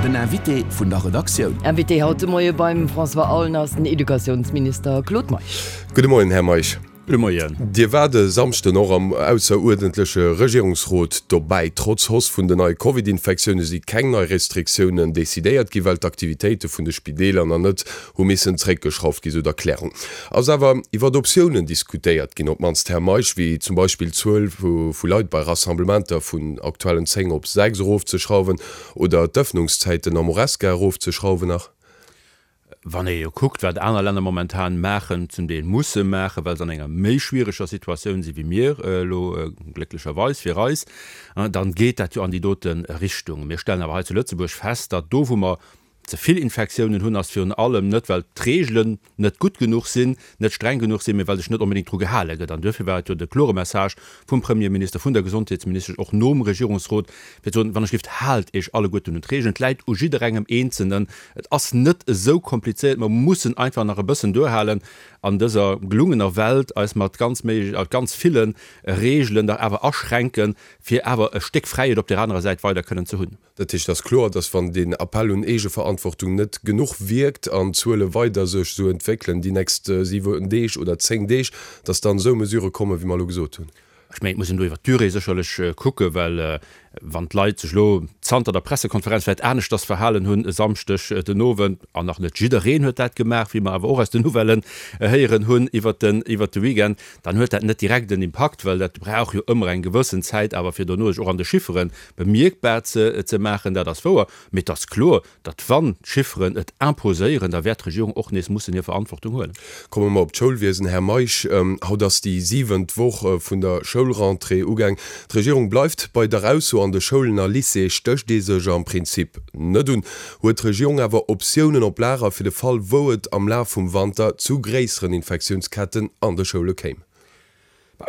Den Invité vun der Redaktioun. Invité haut de Moie beim François Aulner ass den Educatiounsminister Claude Meisch. Gudde Moien, Här Meisch. Gudde Moien. Dir waart e Samschden och am ausseruerdentleche Regierungsrot dobäi. Trotz Hausse vun den neie Covid-Infektioune si keng nei Restriktiounen decidéiert ginn, well d'Aktivitéite vun de Spideeler nach net hu missen zréckgeschrauft ginn, sou d'Erklärung. Ass awer iwwert Optiounen diskutéiert ginn, op d'mannst, Här Meisch, wéi zum Beispill d'Zuel vu Leit bei Rassemblementer vun aktuellen 10 op 6 erofzeschrauwen oder d'Ëffnungszäiten am Horesca erofzeschrauwen nach? Wann ee jo kuckt, wat aner Länner momentan maachen, zum Deel musse maachen, well se an enger méi schwiereger Situatioun si wéi mir elo, glécklecherweis fir eis, dann geet dat jo an déi dote Richtung. Mir stellen awer hei zu Lëtzebuerg fest, datt do, wou mer ze vill Infektiounen hunn, ass virun allem net, well d'Reegelen net gutt genuch sinn, net streng genuch sinn, mee well sech net onbedéngt dru gehale gëtt. An duerfir war et jo de klore Message vum Premierminister, vun der Gesondheetsministesch, och nom Regierungsrot, fir ze soen, Wann ech gelift, haalt Iech alleguerten un d'Reegelen. Et läit u jidderengem Eenzelnen. Et ass net esou komplizéiert. Mer mussen einfach nach e bëssen duerhalen an dëser gelungener Welt, eis mat ganz méi, ganz ville Reegelen dach awer aschränken, fir awer e Stéck Fräiheet op där anerer Säit weider kënnen ze hunn. Dat heescht, et ass kloer, datt wann deen Appell un Eegeverantwortung net genuch wierkt an d'Zuele weider sech esou entwéckelen déi nächst 7 Deeg oder 10 Deeg, datt dann esou Mesurë kommen, wéi mer elo gesot hunn. Ech mengen, et muss een do iwwert d'Durée sécherlech kucken, well wann d'Leit sech elo zanter der Pressekonferenz vläicht aneschters verhalen hunn e Samschdeg den Owend, an nach net jiddereen huet dat gemaach, wéi mer awer och aus den Nouvellen héieren hunn iwwert den iwwert de Weekend, dann huet dat net direkt en Impakt, well dat brauch jo ëmmer eng gewëssen Zäit awer fir dono sech och an de Chiffere bemierkbar ze maachen. Dat ass wouer. Mee et ass kloer, datt wann d'Chifferen et imposéieren, da wäert d'Regierung och nees mussen hir Verantwortung huelen. Komme mer op d'Schoulwiesen, Här Meisch. Haut ass déi siwent Woch vun der Schoulrentrée ugaang. D'Regierung bleift bei der Ausso, an de Schoulen a Lycéeë stécht ee sech am Prinzip net un. Huet d'Regierung awer Optiounen op Lager fir de Fall, wou et am Laf vum Wanter zu gréisseren Infektiounsketten an de Schoule kéim?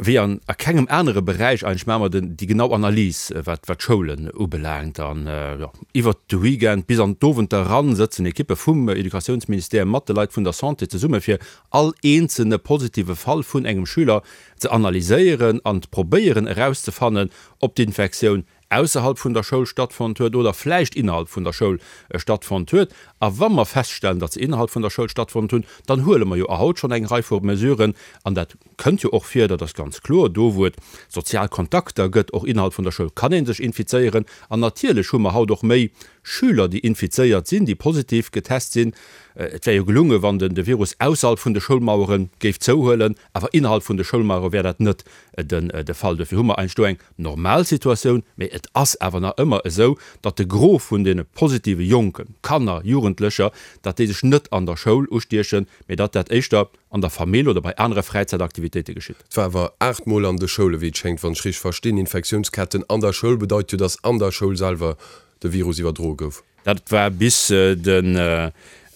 Wéi an a kengem anere Beräich eigentlech maache mer den, déi genau Analys, wat, wat d'Schoulen ubelaangt. An, jo, iwwert de Weekend bis an d'Owenter eran sëtzen Ekippe vum Educatiounsministère mat de Leit vun der Santé zesumme fir all eenzelne positive Fall vun engem Schüler ze analyséieren an probéieren erauszefannen, ob d'Infektioun ausserhalb vun der Schoul stattfonnt huet oder vläicht innerhalb vun der Schoul stattfonnt huet. A wa mer feststellen, datt se innerhalb vun der Schoul stattfonnt hunn, dann huele mer jo haut schonn eng Rei vu Mesuren, an dat kënnt jo och vir, dat ass ganz kloer, do wou et sozial Kontakter gëtt, och innerhalb vun der Schoul kann ee sech infizéieren. An natierlech hu mer haut och méi Schüler, déi infizéiert sinn, déi positiv getest sinn. Et wär jo gelunge wann den de Virus ausserhalb vun de Schoulmauere géif zouhuelen, awer innerhalb vun de Schoulmauere wär dat net den de Fall. Dofir hu mer eigentlech do eng normal Situatioun, mee et ass awer nach ëmmer esou, datt de Gros vun deene positive Jonken, Kanner, Jugendlecher, datt déi sech net an der Schoul ustiechen, mee datt dat éischter an der Famill oder bei anere Fräizäitaktivitéite geschitt. Et war awer 8 Mol an de Schoule wéi et schéngt, wann ech richteg verstinn. Infektiounsketten an der Schoul bedeit jo, datt an der Schoul selwer de Virus iwwerdroe gouf. Dat war bis den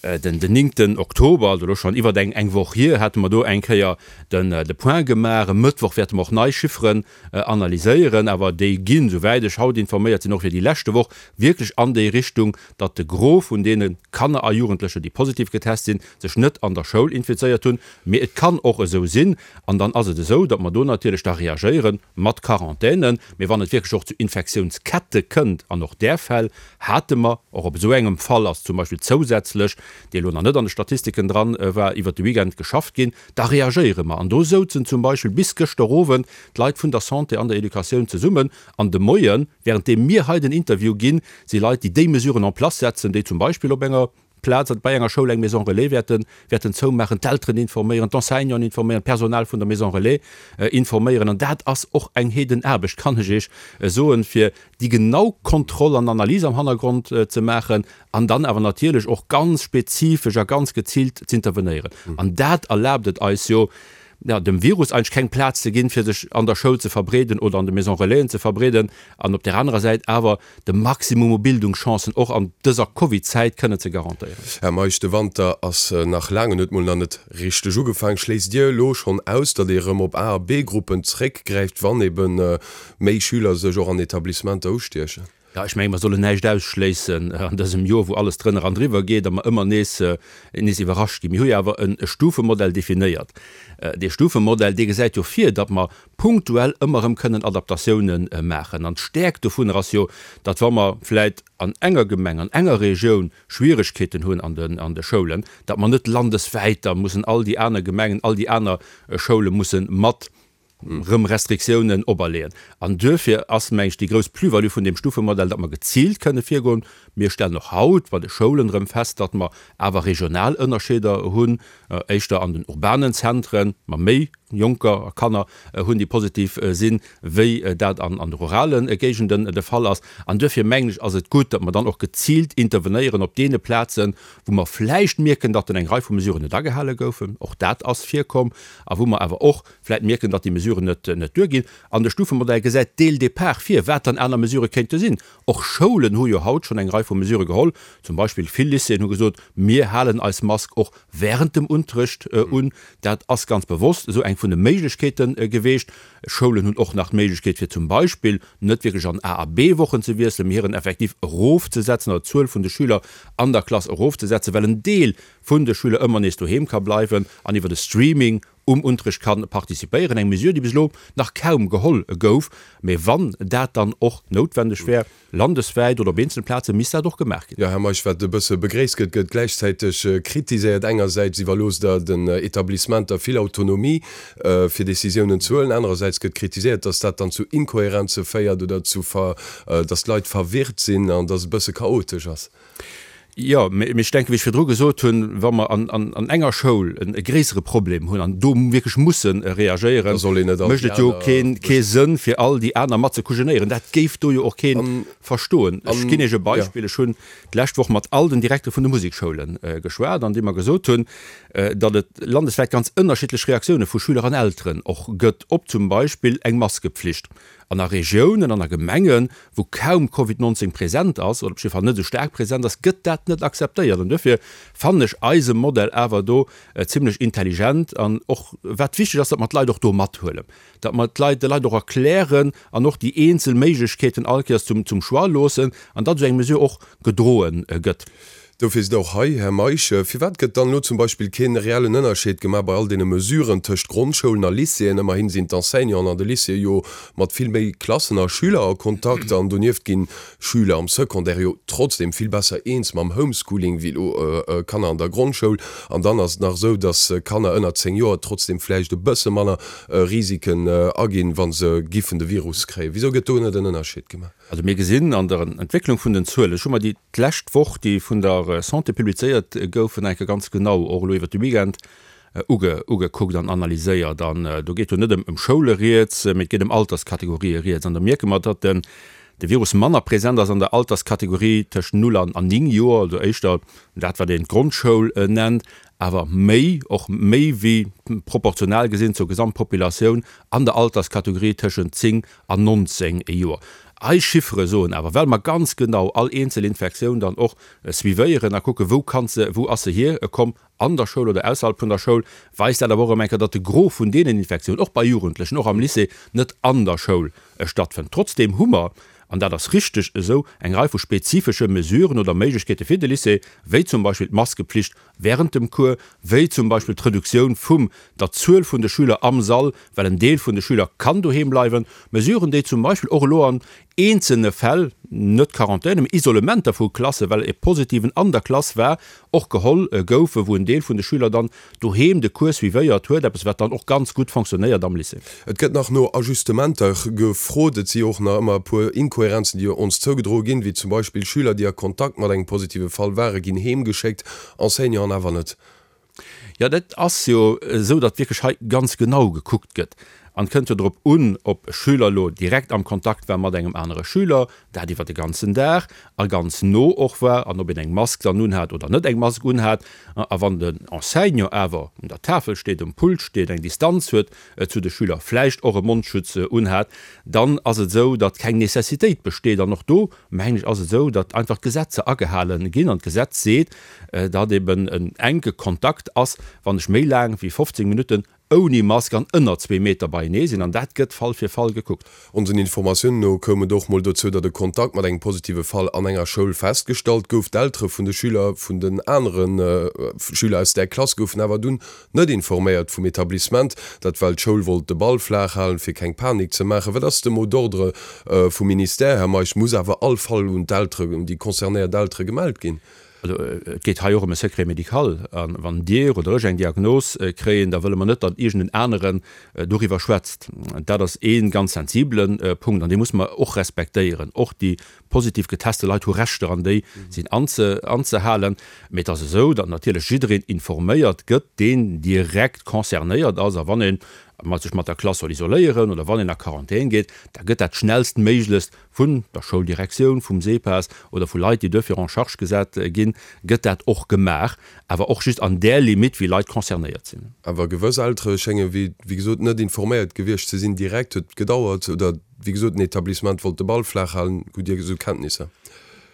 den néngten Oktober, also elo schonn iwwert eng eng Woch hier, hate mer do eng Kéier den de Point gemaach. E Mëttwoch wäerte mer och nei Chifferen analyséieren, awer déi ginn, souwäit ech haut informéiert sinn, och fir déi leschte Woch wierklech an déi Richtung, datt de Gros vun deene Kanner a Jugendlecher, déi positiv getest sinn, sech net an der Schoul infizéiert hunn. Mee et kann och esou sinn, an dann ass et esou, datt mer do natierlech da reagéieren mat Quarantänen. Mee wann et wierklech och zu Infektiounskette kënnt, an och där Fäll hate mer, och op esou engem Fall ass zum Beispill zousätzlech, dee elo nach net an de Statistiken dran war, iwwert de Weekend geschafft ginn, da reagéiere mer. An do souzen zum Beispill bis gëschter Owend d'Leit vun der Santé an der Educatioun zesummen. An de Moien, wärenddeem mir hei den Interview ginn, si Leit, déi déi Mesuren en place setzen, déi zum Beispill op enger Plaz bei enger Schoul eng Maison relais wäerten, wäerten zoumaachen, d'Elteren informéieren, d'Enseignanten informéieren, d'Personal vun der Maison relais informéieren. An dat ass och eng Heedenaarbecht, kann ech Iech soen, fir déi genau Kontroll an Analys am Hannergrond ze maachen an dann awer natierlech och ganz spezifesch a ganz geziilt z'intervenéieren. An dat erlaabt et eis jo, ja, dem Virus eigentlech keng Plaz ze ginn, fir sech an der Schoul ze verbreeden oder an de Maison relaisen ze verbreeden an op där anerer Säit awer de Maximum u Bildungschancen och an dëser Covid-Zäit kënnen ze garantéieren. Här Meisch, de Wanter ass nach laang en huet mol nach net richteg ugefaang. Schléisst Dir elo schonn aus, datt ee rëm op A a B-Gruppen zréckgräift, wann ebe méi Schüler sech och an Etablissementer ustiechen? Jo, ech mengen, mer sollen näischt ausschléissen an dësem Joer, wou alles drënner an driwwer geet a mer ëmmer nees, nees iwwerrascht ginn. Mir hu jo awer e Stufemodell definéiert. Dee Stufemodell, dee gesäit jo vir, datt mer punktuell ëmmer erëm kënnen Adaptatiounen maachen. An d'Stäerkt dovunner ass jo, datt wa mer vläicht an enger Gemeng, an enger Regioun Schwieregkeeten hunn an den, an de Schoulen, datt mer net landeswäit da mussen all déi aner Gemengen, all déi aner Schoule musse mat rëm Restriktiounen operleeën. An duerfir ass, meng ech, déi grouss Plus-value vun deem Stufemodell, datt mer geziilt kënne virgoen. Mir stellen och haut bei de Schoulen erëm fest, datt mer awer regional Ënnerscheeder hunn, éischter an den urbanen Zentren mer méi Jonker a Kanner hunn, déi positiv sinn, wéi dat an de rurale Géigenden de Fall ass. An duerfir, mengen ech, ass et gutt, datt mer dann och geziilt intervenéieren op deene Plazen, wou mer vläicht mierken, datt eng Rei vu Mesuren net agehale goufen, och dat ass virkomm, a wou mer awer och vläicht mierken, datt déi Mesuren net net duerginn. An de Stufemodell gesäit dès le départ vir, wat dann aner Mesurë kéinte sinn. Och Schoulen hu jo haut schonn eng Rei vu Mesurë geholl. Zum Beispill vill Lycéeën hu gesot, mir halen eis Mask och während dem Unterrecht un. Dat ass ganz bewosst esou eng vun de Méiglechkeete geweecht. Schoulen hunn och nach d'Méiglechkeet fir zum Beispill net wierklech an A a B-Wochen ze wiesselen, mee hiren Effektiv erofzesetzen oder d'Zuel vun de Schüler an der Klass erofzesetzen, well en Deel vun de Schüler ëmmer nees doheem ka bleiwen an iwwer de Streaming um Unterrecht ka participéieren. Eng Mesure, déi bis elo nach kaum geholl gouf, mee wann dat dann och noutwendeg wär, Landeswäit oder op eenzele Plaze misst dat och gemaach ginn. Jo, Här Meisch, wat e bësse begréisst gëtt, gëtt gläichzäiteg kritiséiert. Engersäits iwwerloosst Der den Etablissementer vill Autonomie, fir Décisiounen ze huelen. Anerersäits gëtt kritiséiert, dass dat dann zu Inkohärenze féiert oder zu, dass d'Leit verwirrt sinn an dass et e bësse chaotesch ass. Jo, mee ech denken, wéi ech virdru gesot hunn, wa mer an enger Schoul e gréissere Problem hunn an do wierklech musse reagéieren, mécht et jo kee Sënn, fir all déi aner mat ze kujenéieren. Dat géif do jo och kee verstoen. Ech ginn Iech e Beispill, Ech hunn d'lescht Woch mat all den Direktere vun de Musekschoule geschwat, an déi mer gesot hunn, datt et landeswäit ganz ënnerschiddlech Reaktioune vu Schüler an Elteren och gëtt op zum Beispill eng Maskepflicht. An a Regiounen an a Gemengen, wou kaum Covid 19 present ass, oder op jidde Fall net esou staark present ass, gëtt dat net akzeptéiert. An duerfir fannen ech eise Modell awer do zimlech intelligent. An och wat wichteg ass, datt mer d'Leit och do mathuelen, datt mer d'Leit, de Leit och erklären an och déi eenzel Méiglechkeeten all Kéiers zum Choix loossen an datt esou eng Mesure och gedroe gëtt. Dofir sidd Der och hei, Här Meisch. Firwat gëtt dann elo zum Beispill kee reellen Ënnerscheed gemaach bei all deene Mesuren tëscht Grondschoulen a Lycéeën? Ëmmerhin sinn d'Enseignanten an de Lycéeë jo mat vill méi Klassen a Schüler a Kontakt an donieft ginn Schüler am Secondaire jo trotzdem vill besser eens mam Homeschooling wéi elo Kanner an der Grondschoul. An dann ass et nach esou, dass Kanner ënner 10 Joer trotzdem vläicht e bësse manner Risiken aginn, wa se giffen de Virus kréien. Wisou gëtt do net en Ënnerscheed gemaach? Also mir gesinn an der Entwécklung vun den Zuelen, ech hu mer déi d'lescht Woch, déi vun der Santé publizéiert goufen, eng Kéier ganz genau och elo iwwert de Weekend uge ugekuckt an analyséiert. An do geet jo net ëm Schoule rieds, mee et geet ëm Alterskategorië rieds. An da mierke mer, datt den de Virus manner present ass an der Alterskategorie tëscht 0 an 9 Joer, also éischter dat wat een d'Grondschoul nennt, awer méi, och méi wéi proportional gesinn zur Gesamtpopulatioun an der Alterskategorie tëschent 10 an 19 Joer. Eis Chiffere soen awer, well mer ganz genau all eenzel Infektioun dann och suivéieren a kucken, wou kann se, wou ass se hierkomm, an der Schoul oder ausserhalb vun der Schoul, weist dat awer och erëm eng Kéier, datt de Gros vun deenen Infektiounen, och bei Jugendlechen, och am Lycée, net an der Schoul stattfënnt. Trotzdeem hu mer, an dat ass richteg esou, eng Rei vu spezifesche Mesuren oder Méiglechkeete fir de Lycée, wéi zum Beispill d'Maskepflicht während dem Cours, wéi zum Beispill d'Reduktioun vum der Zuel vun de Schüler am Sall, well en Deel vun de Schüler kann doheem bleiwen, Mesuren, déi zum Beispill och elo an eenzelne Fäll, net Quarantäne, mee Isolementer vu Klassen, well e Positiven an der Klass war, och geholl goufen, wou en Deel vun de Schüler dann doheem de Cours suivéiert huet, eppes wat dann och ganz gutt fonctionnéiert am Lycée. Et gëtt nach no Ajustementer gefrot. Et si jo och nach ëmmer e puer Inkohärenzen, déi ons zougedroe ginn, wéi zum Beispill Schüler, déi a Kontakt mat engem positive Fall waren, ginn heemgeschéckt, Enseignanten awer net. Jo, dat ass jo esou, datt wierklech hei ganz genau gekuckt gëtt. An et kënnt jo drop un, ob e Schüler elo direkt am Kontakt war mat engem anere Schüler, dat iwwer de ganzen Dag a ganz no och war, an ob een eng Mask dann unhat oder net eng Mask unhat. A wann den Enseignant awer un der Tafel steet, um Pult steet, eng Distanz huet zu de Schüler, vläicht och e Mondschutz unhat, dann ass et esou, datt keng Necessitéit besteet. An och do, mengen ech, ass et esou, datt einfach d'Gesetzer agehale ginn. An d'Gesetz seet, datt eben en enke Kontakt ass, wann ech méi laang wéi 15 Minutten. ouni Mask an ënner zwee Meter beienee sinn. An dat gëtt Fall fir Fall gekuckt. Onsen Informatiounen no koum et och mol dozou, datt e Kontakt mat engem positive Fall an enger Schoul festgestallt gouf. D'Eltere vun de Schüler vun den anere Schüler aus där Klass goufen awer dunn net informéiert vum Etablissement. Dat well d'Schoul wollt de Ball flaach halen, fir keng Panik ze maachen. Wat ass de Mot d'ordre vum Ministère, Här Meisch? Muss awer all Fall un d'Eltere, un déi concernéiert Eltere gemellt ginn? Also et geet hei och ëm e Secret médical. A wann Dir oder ech eng Diagnos kréien, da wëlle mer net, datt iergend en aneren doriwwer schwätzt. Dat ass ee ganz sensibele Punkt an dee musse mer och respektéieren. Och déi positiv geteste Leit hu Rechter an déi sinn anzehalen. Mee et ass esou, datt natierlech jiddereen informéiert gëtt, deen direkt concernéiert ass. A wann ee sech mat der Klass soll isoléieren oder wann een a Quarantän geet, da gëtt dat schnellstméiglechst vun der Schouldirektioun, vum SEPAS oder vu Leit, déi duerfir en charge gesat ginn, gëtt dat och gemaach, awer och just an där Limite, wéi Leit concernéiert sinn. Awer gewëss Eltere schénge wéi gesot net informéiert gewiescht ze sinn direkt. Huet gedauert oder wéi gesot den Etablissement wollt de Ball flaach halen. Hutt Dir esou Kenntnisser?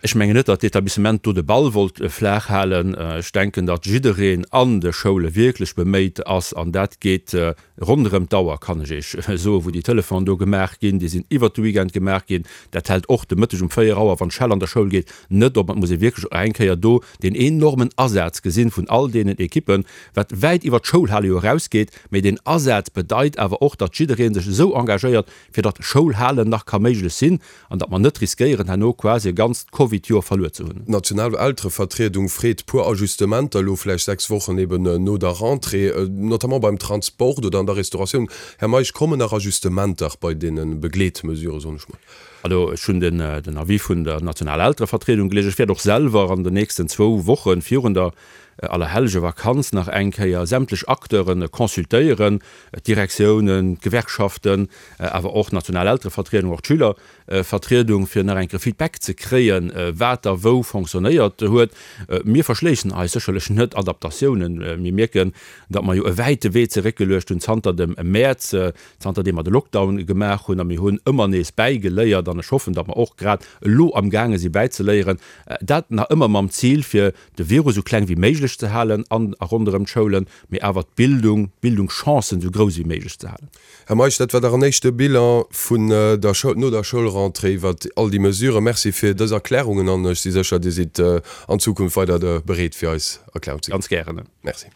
Ech mengen net, datt d'Etablissement do de Ball wollt flaach halen. Ech denken, datt jiddereen an de Schoule wierklech beméit ass, an dat geet Ronderëm d'Auer kann ech Iech soen, wou déi Telefonen do gemaach ginn. Déi sinn iwwert de Weekend gemaach ginn. Dat hält och de Mëtteg um 4 Auer, wann d'Schell an der Schoul geet, net op. Et muss ee wierklech och eng Kéier do deen enormen Asaz gesinn vun all deenen Ekippen, wat wäit iwwert d'Schoulhale jo erausgeet. Mee deen Asaz bedeit awer och, datt jidderee sech esou engagéiert, fir datt Schoulhalen nach ka méiglech sinn an datt mer net riskéieren, herno quasi e ganzt Covid-Joer verluer ze hunn. D'national Elterevertriedung freet puer Ajustementer elo vläicht 6 Wochen eben no der Rentrée, notamment beim Transport oder an der Restauratioun. Här Meisch, kommen nach Ajustementer bei deene Begleetmesuren, soen ech mol? Also ech hunn den Avis vun der nationaler Elterevertriedung gelies. Ech wäert och selwer an den nächsten zwou Woche virun der Allerhellegevakanz nach eng Kéier sämtlech Acteure consultéieren, d'Direktiounen, d'Gewerkschaften, awer och d'national Elterevertriedung, och d'Schülervertriedung, fir nach eng Kéier Feedback ze kréien, wat da wou fonctionnéiert huet. Mir verschléissen eis sécherlech net Adaptatiounen. Mir mierken, datt mer jo e wäite Wee zeréckgeluecht hunn zanter dem Mäerz, zanter deem mer de Lockdown gemaach hunn, a mir hunn ëmmer nees bäigeléiert. An ech hoffen, datt mer och grad elo amgaange si bäizeléieren, dat nach ëmmer mam Zil, fir de Virus esou kleng wéi méiglech ze halen an a ronderëm d'Schoulen, mee awer d'Bildung, d'Bildungschancen esou grouss wéi méiglech ze halen. Här Meisch, dat war dach en éischte Bilan vun der Schoul, no der Schoulrentrée iwwert all déi Mesuren. Merci fir dës Erklärungen an ech si sécher, Dir sidd an Zukunft weider bereet fir eis Erklärung ze ginn. Ganz gären. Merci.